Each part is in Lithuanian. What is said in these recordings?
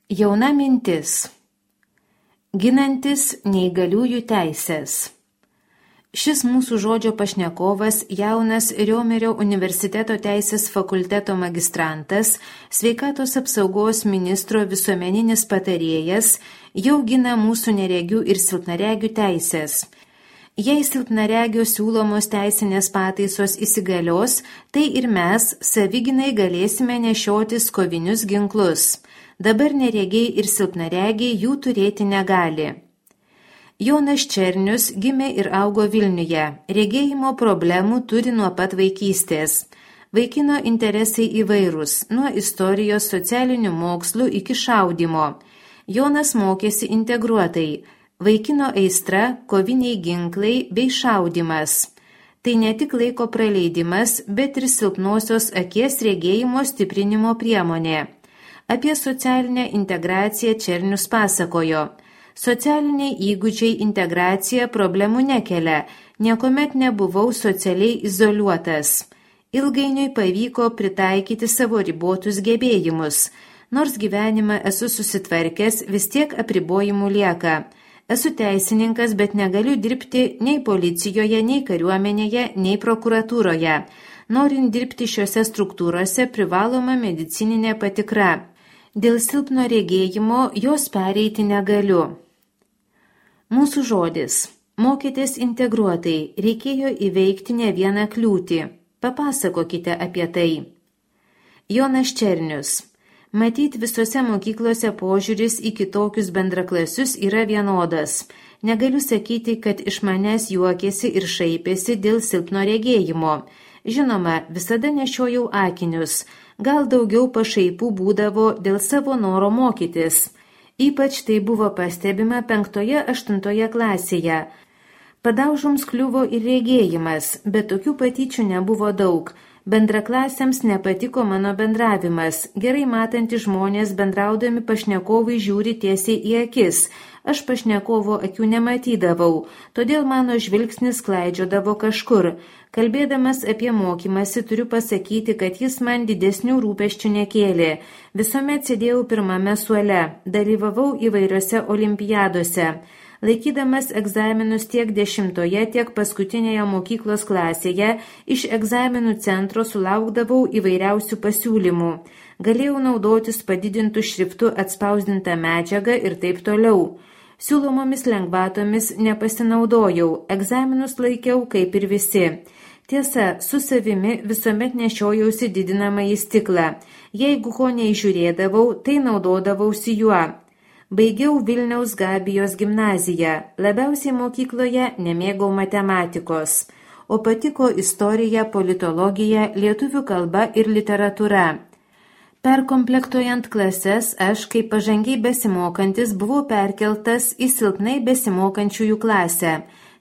Jauna mintis. Ginantis neįgaliųjų teisės. Šis mūsų žodžio pašnekovas, jaunas Riomerio universiteto teisės fakulteto magistrantas, sveikatos apsaugos ministro visuomeninis patarėjas, jau gina mūsų neregių ir silpnaregių teisės. Jei silpnaregio siūlomos teisinės pataisos įsigalios, tai ir mes, savigynai, galėsime nešiotis kovinius ginklus. Dabar neregiai ir silpnaregiai jų turėti negali. Jonas Černius gimė ir augo Vilniuje. Regėjimo problemų turi nuo pat vaikystės. Vaikino interesai įvairūs, nuo istorijos, socialinių mokslų iki šaudymo. Jonas mokėsi integruotai. Vaikino aistra, koviniai ginklai bei šaudymas. Tai ne tik laiko praleidimas, bet ir silpnosios akies regėjimo stiprinimo priemonė. Apie socialinę integraciją Černius pasakojo. Socialiniai įgūdžiai integracija problemų nekelia, niekuomet nebuvau socialiai izoliuotas. Ilgainiui pavyko pritaikyti savo ribotus gebėjimus. Nors gyvenimą esu susitvarkęs, vis tiek apribojimų lieka. Esu teisininkas, bet negaliu dirbti nei policijoje, nei kariuomenėje, nei prokuratūroje. Norint dirbti šiuose struktūrose privaloma medicininė patikra. Dėl silpno regėjimo jos pereiti negaliu. Mūsų žodis. Mokytis integruotai, reikėjo įveikti ne vieną kliūtį. Papasakokite apie tai. Jonas Černius. Matyt, visose mokyklose požiūris į kitokius bendraklasius yra vienodas. Negaliu sakyti, kad iš manęs juokėsi ir šaipėsi dėl silpno regėjimo. Žinoma, visada nešiojau akinius. Gal daugiau pašaipų būdavo dėl savo noro mokytis. Ypač tai buvo pastebima 5-8 klasėje. Padaužoms kliuvo ir regėjimas, bet tokių patyčių nebuvo daug. Bendraklasiams nepatiko mano bendravimas. Gerai matantys žmonės bendraudami pašnekovai žiūri tiesiai į akis. Aš pašnekovo akių nematydavau, todėl mano žvilgsnis klaidžiodavo kažkur. Kalbėdamas apie mokymąsi turiu pasakyti, kad jis man didesnių rūpesčių nekėlė. Visuomet sėdėjau pirmame suole, dalyvavau įvairiose olimpiadose. Laikydamas egzaminus tiek 10, tiek paskutinėje mokyklos klasėje, iš egzaminų centro sulaukdavau įvairiausių pasiūlymų. Galėjau naudotis padidintų šriftų atspausdintą medžiagą ir taip toliau. Siūlomomis lengvatomis nepasinaudojau, egzaminus laikiau kaip ir visi. Tiesa, su savimi visuomet nešiojausi didinamąjį stiklą. Jeigu ko neižiūrėdavau, tai naudodavausi juo. Baigiau Vilniaus Gabijos gimnaziją. Labiausiai mokykloje nemėgau matematikos, o patiko istorija, politologija, lietuvių kalba ir literatūra. Perkomplektuojant klases, aš, kaip pažangiai besimokantis, buvau perkeltas į silpnai besimokančiųjų klasę.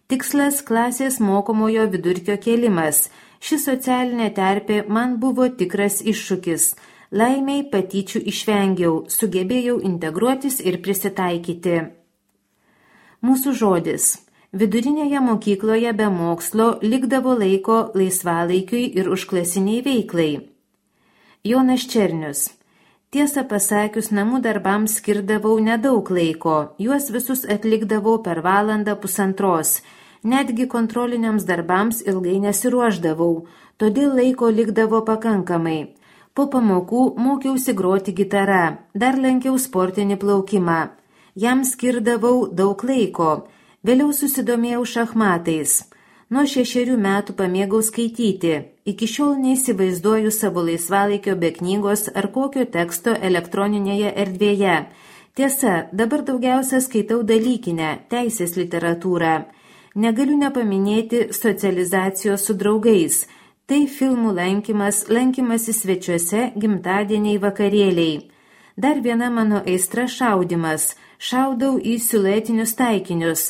Tikslas – klasės mokomojo vidurkio kėlimas. Ši socialinė terpė man buvo tikras iššūkis. Laimiai patyčių išvengiau, sugebėjau integruotis ir prisitaikyti. Mūsų žodis. Vidurinėje mokykloje be mokslo likdavo laiko laisvalaikiui ir užklasiniai veiklai. Jonas Černius. Tiesą pasakius, namų darbams skirdavau nedaug laiko, juos visus atlikdavau per 1-1,5. Netgi kontroliniams darbams ilgai nesiruošdavau, todėl laiko likdavo pakankamai. Po pamokų mokiausi groti gitarą, dar lankiau sportinį plaukimą. Jam skirdavau daug laiko, vėliau susidomėjau šachmatais. Nuo 6 metų pamėgau skaityti, iki šiol neįsivaizduoju savo laisvalaikio be knygos ar kokio teksto elektroninėje erdvėje. Tiesa, dabar daugiausia skaitau dalykinę, teisės literatūrą. Negaliu nepaminėti socializacijos su draugais. Tai filmų lankymasis svečiuose, gimtadieniai, vakarėliai. Dar viena mano aistra šaudymas. Šaudau į siluetinius taikinius.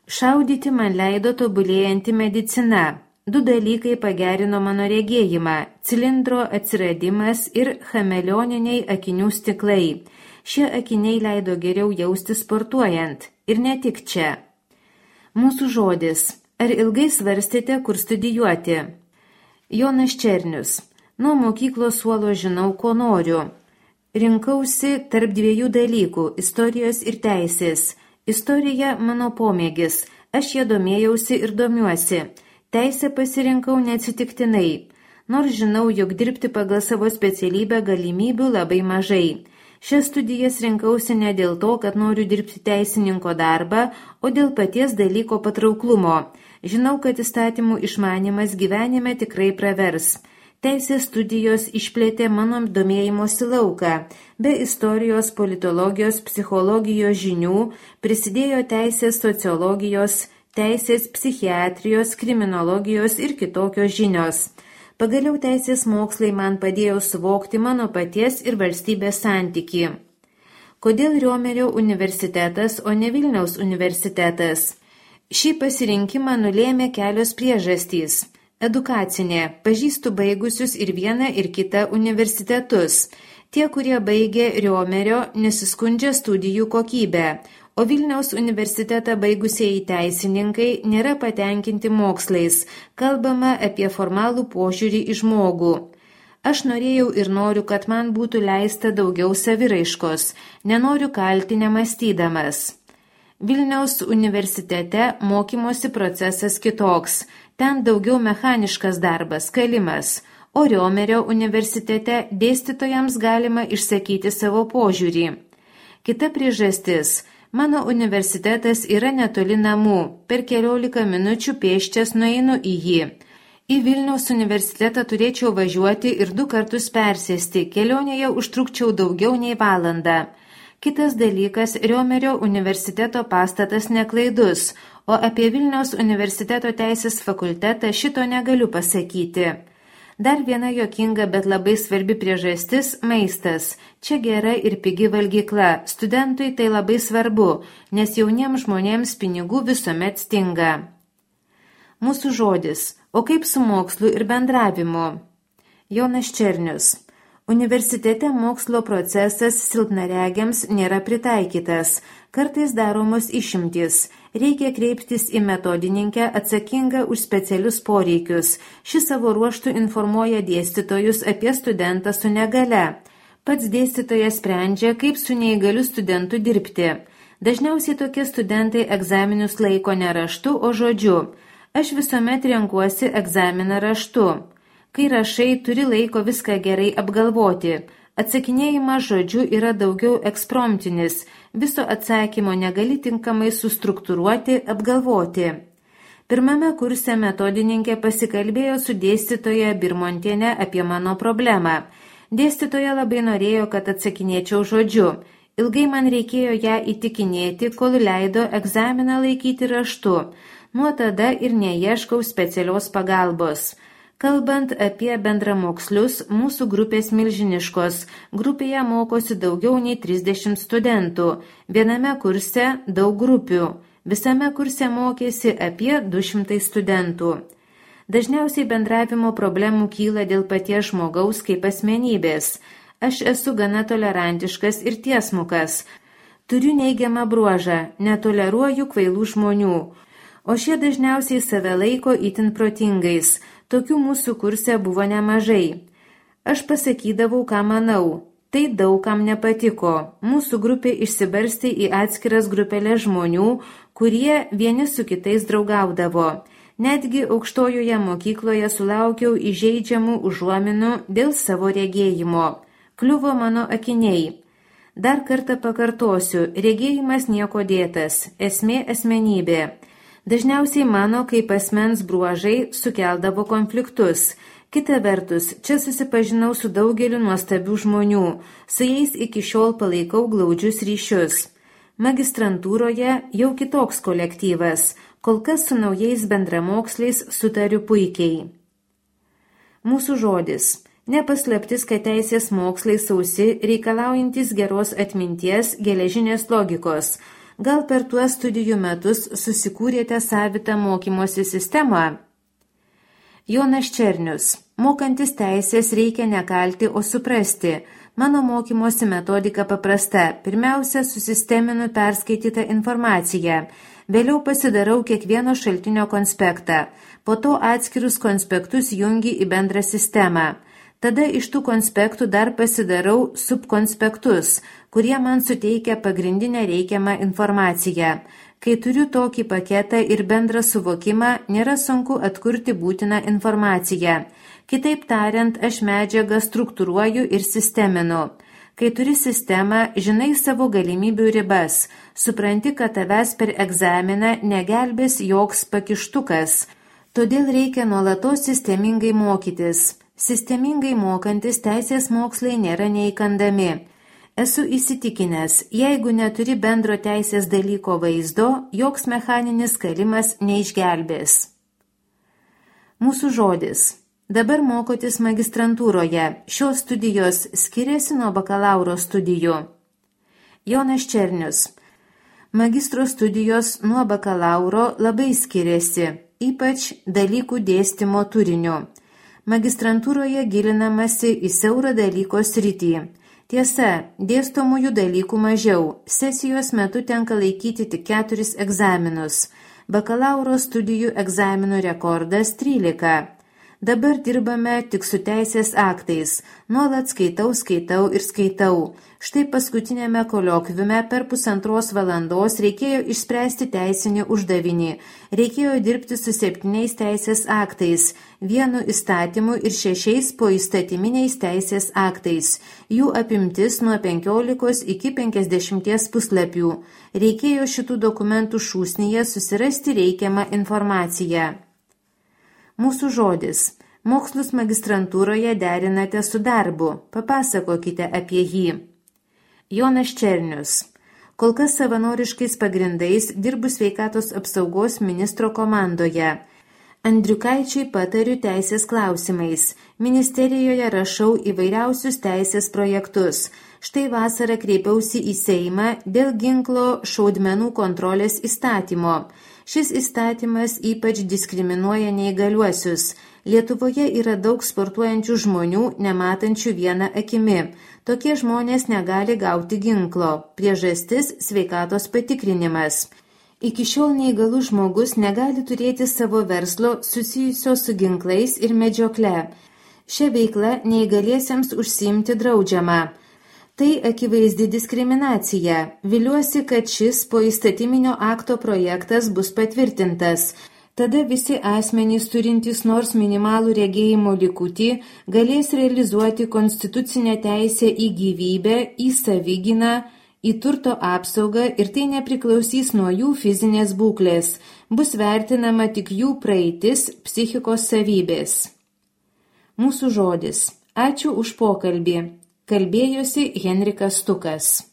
Šaudyti man leido tobulėjanti medicina. 2 dalykai pagerino mano regėjimą – cilindro atsiradimas ir chameleoniniai akinių stiklai. Šie akiniai leido geriau jausti sportuojant. Ir ne tik čia. Mūsų žodis. Ar ilgai svarstėte, kur studijuoti? Jonas Černius. Nuo mokyklos suolo žinau, ko noriu. Rinkausi tarp dviejų dalykų – istorijos ir teisės. Istorija mano pomėgis, aš ją domėjausi ir domiuosi. Teisę pasirinkau neatsitiktinai, nors žinau, jog dirbti pagal savo specialybę galimybių labai mažai. Šias studijas rinkausi ne dėl to, kad noriu dirbti teisininko darbą, o dėl paties dalyko patrauklumo. Žinau, kad įstatymų išmanimas gyvenime tikrai pravers. Teisės studijos išplėtė mano domėjimosi lauką. Be istorijos, politologijos, psichologijos žinių prisidėjo teisės sociologijos, teisės psichiatrijos, kriminologijos ir kitokios žinios. Pagaliau teisės mokslai man padėjo suvokti mano paties ir valstybės santykį. Kodėl Riomerio universitetas, o ne Vilniaus universitetas? Šį pasirinkimą nulėmė kelios priežastys. Edukacinė. Pažįstu baigusius ir vieną ir kitą universitetus. Tie, kurie baigė Riomerio, nesiskundžia studijų kokybę, o Vilniaus universitetą baigusieji teisininkai nėra patenkinti mokslais. Kalbama apie formalų požiūrį į žmogų. Aš norėjau ir noriu, kad man būtų leista daugiau saviraiškos. Nenoriu kalti nemąstydamas. Vilniaus universitete mokymosi procesas kitoks. Ten daugiau mechaniškas darbas, kalimas, o Riomerio universitete dėstytojams galima išsakyti savo požiūrį. Kita priežastis – mano universitetas yra netoli namų, per 15 minučių pėsčias nueinu į jį. Į Vilniaus universitetą turėčiau važiuoti ir 2 kartus persėsti, kelionėje užtrukčiau daugiau nei valandą. Kitas dalykas – Riomerio universiteto pastatas neklaidus, o apie Vilniaus universiteto teisės fakultetą šito negaliu pasakyti. Dar viena juokinga, bet labai svarbi priežastis – maistas. Čia gera ir pigi valgykla. Studentui tai labai svarbu, nes jauniems žmonėms pinigų visuomet stinga. Mūsų žodis. O kaip su mokslu ir bendravimu? Jonas Černius. Universitete mokslo procesas silpnaregiams nėra pritaikytas. Kartais daromos išimtys. Reikia kreiptis į metodininkę atsakingą už specialius poreikius. Ši savo ruožtu informuoja dėstytojus apie studentą su negale. Pats dėstytojas sprendžia, kaip su neįgaliu studentu dirbti. Dažniausiai tokie studentai egzaminus laiko ne raštu, o žodžiu. Aš visuomet renkuosi egzaminą raštu. Kai rašai, turi laiko viską gerai apgalvoti. Atsakinėjimas žodžiu yra daugiau ekspromptinis. Viso atsakymo negali tinkamai sustruktūruoti, apgalvoti. Pirmame kurse metodininkė pasikalbėjo su dėstytoja Birmontiene apie mano problemą. Dėstytoja labai norėjo, kad atsakinėčiau žodžiu. Ilgai man reikėjo ją įtikinėti, kol leido egzaminą laikyti raštu. Nuo tada ir neieškau specialios pagalbos. Kalbant apie bendramokslius, mūsų grupės milžiniškos. Grupėje mokosi daugiau nei 30 studentų. Viename kurse daug grupių. Visame kurse mokėsi apie 200 studentų. Dažniausiai bendravimo problemų kyla dėl paties žmogaus kaip asmenybės. Aš esu gana tolerantiškas ir tiesmukas. Turiu neigiamą bruožą, netoleruoju kvailų žmonių. O šie dažniausiai save laiko itin protingais. Tokių mūsų kurse buvo nemažai. Aš pasakydavau, ką manau. Tai daug kam nepatiko. Mūsų grupė išsibarstė į atskiras grupelės žmonių, kurie vieni su kitais draugaudavo. Netgi aukštojoje mokykloje sulaukiau įžeidžiamų užuominų dėl savo regėjimo. Kliuvo mano akiniai. Dar kartą pakartosiu, regėjimas nieko dėtas, esmė asmenybė. Dažniausiai mano kaip asmens bruožai sukeldavo konfliktus. Kita vertus, čia susipažinau su daugeliu nuostabių žmonių, su jais iki šiol palaikau glaudžius ryšius. Magistrantūroje jau kitoks kolektyvas, kol kas su naujais bendramoksliais sutariu puikiai. Mūsų žodis. Nepaslaptis, kad teisės mokslai sausi, reikalaujantis geros atminties, geležinės logikos. Gal per tuos studijų metus susikūrėte savitą mokymosi sistemą? Jonas Černius. Mokantis teisės reikia nekalti, o suprasti. Mano mokymosi metodika paprasta. Pirmiausia, susisteminu perskaitytą informaciją. Vėliau pasidarau kiekvieno šaltinio konspektą. Po to atskirus konspektus jungi į bendrą sistemą. Tada iš tų konspektų dar pasidarau subkonspektus, kurie man suteikia pagrindinę reikiamą informaciją. Kai turiu tokį paketą ir bendrą suvokimą, nėra sunku atkurti būtiną informaciją. Kitaip tariant, aš medžiagą struktūruoju ir sisteminu. Kai turi sistemą, žinai savo galimybių ribas, supranti, kad tavęs per egzaminą negelbės joks pakištukas. Todėl reikia nuolatos sistemingai mokytis. Sistemingai mokantis teisės mokslai nėra neįkandami. Esu įsitikinęs, jeigu neturi bendro teisės dalyko vaizdo, joks mechaninis kalimas neišgelbės. Mūsų žodis. Dabar mokotis magistrantūroje. Šios studijos skiriasi nuo bakalauro studijų. Jonas Černius. Magistro studijos nuo bakalauro labai skiriasi, ypač dalykų dėstymo turiniu. Magistrantūroje gilinamasi į siaurą dalyko sritį. Tiesa, dėstomųjų dalykų mažiau. Sesijos metu tenka laikyti tik 4 egzaminus. Bakalauro studijų egzaminų rekordas 13. Dabar dirbame tik su teisės aktais. Nuolat skaitau ir skaitau. Štai paskutinėme koliokviume per 1,5 valandos reikėjo išspręsti teisinį uždavinį. Reikėjo dirbti su 7 teisės aktais, 1 įstatymu ir 6 poįstatyminiais teisės aktais. Jų apimtis nuo 15 iki 50 puslapių. Reikėjo šitų dokumentų šūsnyje susirasti reikiamą informaciją. Mūsų žodis. Mokslus magistrantūroje derinate su darbu. Papasakokite apie jį. Jonas Černius. Kol kas savanoriškais pagrindais dirbu sveikatos apsaugos ministro komandoje. Andriukaičiui patariu teisės klausimais. Ministerijoje rašau įvairiausius teisės projektus. Štai vasarą kreipiausi į Seimą dėl ginklo šaudmenų kontrolės įstatymo. Šis įstatymas ypač diskriminuoja neįgaliuosius. Lietuvoje yra daug sportuojančių žmonių, nematančių vieną akimi. Tokie žmonės negali gauti ginklo. Priežastis – sveikatos patikrinimas. Iki šiol neįgalus žmogus negali turėti savo verslo susijusio su ginklais ir medžiokle. Šią veiklą neįgaliesiems užsiimti draudžiama. Tai akivaizdi diskriminacija. Viliuosi, kad šis poįstatyminio akto projektas bus patvirtintas. Tada visi asmenys turintys nors minimalų regėjimo likutį galės realizuoti konstitucinę teisę į gyvybę, į savigyną, į turto apsaugą ir tai nepriklausys nuo jų fizinės būklės. Bus vertinama tik jų praeitis, psichikos savybės. Mūsų žodis. Ačiū už pokalbį. Kalbėjosi Henrikas Stukas.